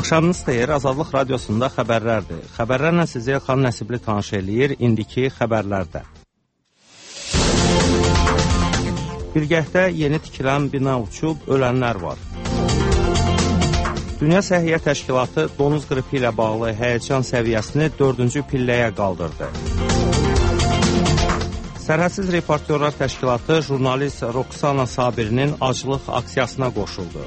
Axşamınız xeyir, Azadlıq Radiosunda xəbərlərdir. Xəbərlərlə sizi Elxan Nəsibli tanış eləyir, indiki xəbərlərdə. Bilgəhdə yeni tikilən bina uçub, ölənlər var. Dünya Səhiyyə Təşkilatı donuz qripi ilə bağlı həyəcan səviyyəsini 4-cü pilləyə qaldırdı. Sərhədsiz Reportyorlar Təşkilatı jurnalist Roxana Sabirinin aclıq aksiyasına qoşuldu.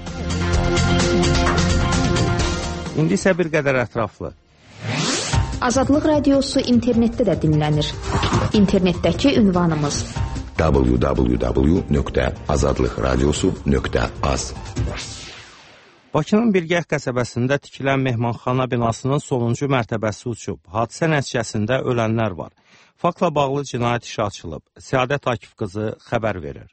İndi isə bir qədər ətraflı. Azadlıq Radiosu internetdə də dinlənir. İnternetdəki ünvanımız www.azadlıqradiosu.az. Bakının Bilgəh qəsəbəsində tikilən mehmanxana binasının sonuncu mərtəbəsi uçub. Hadisə nəticəsində ölənlər var. Faktla bağlı cinayət işi açılıb. Səadət Akif qızı xəbər verir.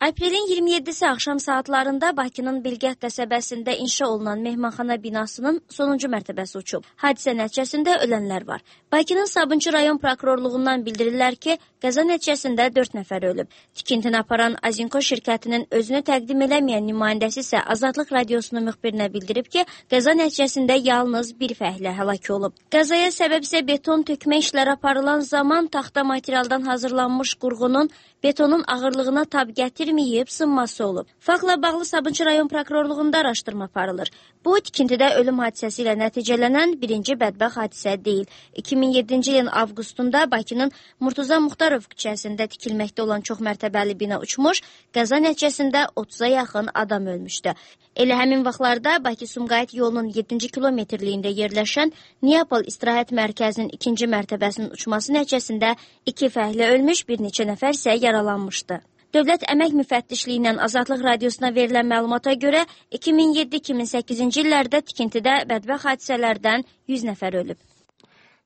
Aprelin 27-si axşam saatlarında Bakının Bilgəh qəsəbəsində inşa olunan mehmanxana binasının sonuncu mərtəbəsi uçub. Hadisə nəticəsində ölənlər var. Bakının Sabunçu rayon prokurorluğundan bildirirlər ki, qəza nəticəsində 4 nəfər ölüb. Tikintini aparan Azinko şirkətinin özünü təqdim eləməyən nümayəndəsi isə Azadlıq Radiosunun müxbirinə bildirib ki, qəza nəticəsində yalnız bir fəhlə həlak olub. Qəzaya səbəb isə beton tökmə işləri aparılan zaman taxta materialdan hazırlanmış qurğunun betonun ağırlığına tab gətirməyib sınması olub. Faktla bağlı Sabunçu rayon prokurorluğunda araşdırma aparılır. Bu, tikintidə ölüm hadisəsi ilə nəticələnən birinci bədbəxt hadisə deyil. 2007-ci ilin avqustunda Bakının Murtuza Muxtarov küçəsində tikilməkdə olan çoxmərtəbəli bina uçmuş, qəza nəticəsində 30-a yaxın adam ölmüşdü. Elə həmin vaxtlarda Bakı-Sumqayıt yolunun 7-ci kilometrliyində yerləşən Neapol İstirahət Mərkəzinin 2-ci mərtəbəsinin uçması nəticəsində 2 fəhlə ölmüş, bir neçə nəfər isə yaralanmışdı. Dövlət Əmək Müfəttişliyindən Azadlıq Radiosuna verilən məlumata görə 2007-2008-ci illərdə tikintidə bədbəxt hadisələrdən 100 nəfər ölüb.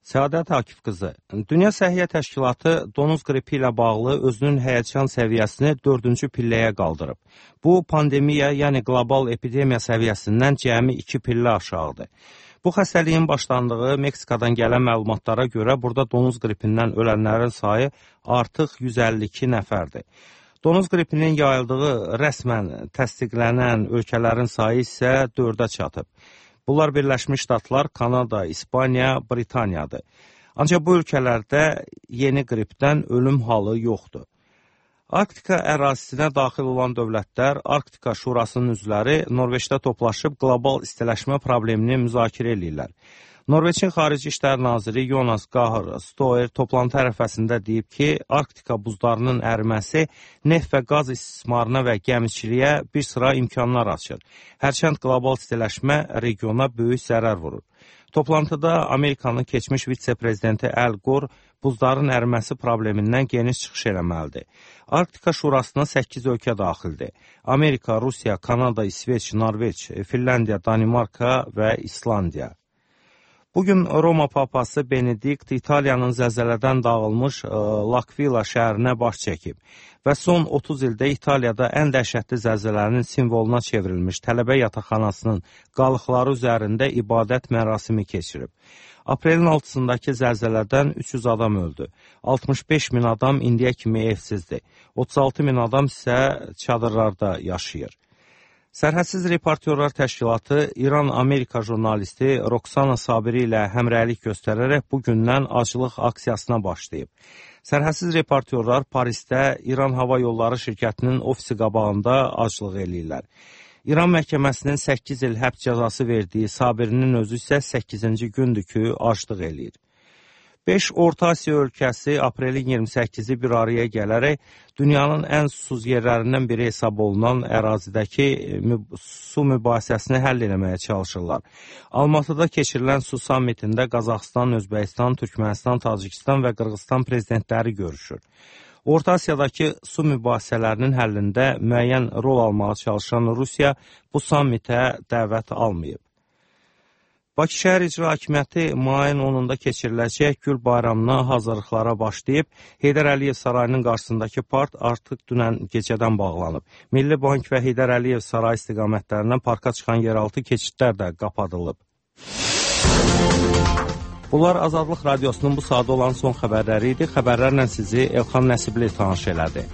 Səadət Akif qızı, Dünya Səhiyyə Təşkilatı donuz qripi ilə bağlı özünün həyəcan səviyyəsini 4-cü pilləyə qaldırıb. Bu, pandemiya, yəni qlobal epidemiya səviyyəsindən cəmi 2 pillə aşağıdır. Bu xəstəliyin başlandığı Meksikadan gələn məlumatlara görə burada donuz qripindən ölənlərin sayı artıq 152 nəfərdir. Donuz qripinin yayıldığı rəsmən təsdiqlənən ölkələrin sayı isə 4-ə çatıb. Bunlar Birləşmiş Ştatlar, Kanada, İspaniya, Britaniyadır. Ancaq bu ölkələrdə yeni qripdən ölüm halı yoxdur. Arktika ərazisinə daxil olan dövlətlər, Arktika Şurasının üzvləri Norveçdə toplaşıb qlobal istiləşmə problemini müzakirə edirlər. Norveçin Xarici İşlər Naziri Jonas Gahr Stoer toplantı ərəfəsində deyib ki, Arktika buzlarının əriməsi neft və qaz istismarına və gəmiçiliyə bir sıra imkanlar açır. Hərçənd qlobal istiləşmə regiona böyük zərər vurur. Toplantıda Amerikanın keçmiş vitse-prezidenti Al Gore buzların əriməsi problemindən geniş çıxış eləməlidir. Arktika Şurasına 8 ölkə daxildir. Amerika, Rusiya, Kanada, İsveç, Norveç, Finlandiya, Danimarka və İslandiya. Bugün Roma papası Benedikt İtaliyanın zəlzələdən dağılmış L'Aquila şəhərinə baş çəkib və son 30 ildə İtaliyada ən dəhşətli zəlzələnin simvoluna çevrilmiş tələbə yataqxanasının qalıqları üzərində ibadət mərasimi keçirib. Aprelin 6-sındakı zəlzələdən 300 adam öldü. 65 min adam indiyə kimi evsizdir. 36 min adam isə çadırlarda yaşayır. Sərhədsiz Reportyorlar Təşkilatı İran-Amerika jurnalisti Roxana Sabiri ilə həmrəylik göstərərək bugündən aclıq aksiyasına başlayıb. Sərhədsiz Reportyorlar Parisdə İran Hava Yolları şirkətinin ofisi qabağında aclıq eləyirlər. İran məhkəməsinin 8 il həbs cəzası verdiyi Sabirinin özü isə 8-ci gündür ki, aclıq eləyir. 5 Orta Asiya ölkəsi aprelin 28-i bir araya gələrək dünyanın ən susuz yerlərindən biri hesab olunan ərazidəki su mübahisəsini həll eləməyə çalışırlar. Almatıda keçirilən su sammitində Qazaxıstan, Özbəkistan, Türkmənistan, Tacikistan və Qırğızstan prezidentləri görüşür. Orta Asiyadakı su mübahisələrinin həllində müəyyən rol almağa çalışan Rusiya bu sammitə dəvət almayıb. Bakı şəhər icra hakimiyyəti mayın 10-da keçiriləcək Gül bayramına hazırlıqlara başlayıb, Heydər Əliyev sarayının qarşısındakı park artıq dünən gecədən bağlanıb. Milli Bank və Heydər Əliyev sarayı istiqamətlərindən parka çıxan yeraltı keçidlər də qapadılıb. Bunlar Azadlıq Radiosunun bu sadə olan son xəbərləri idi. Xəbərlərlə sizi Elxan Nəsibli tanış elədi.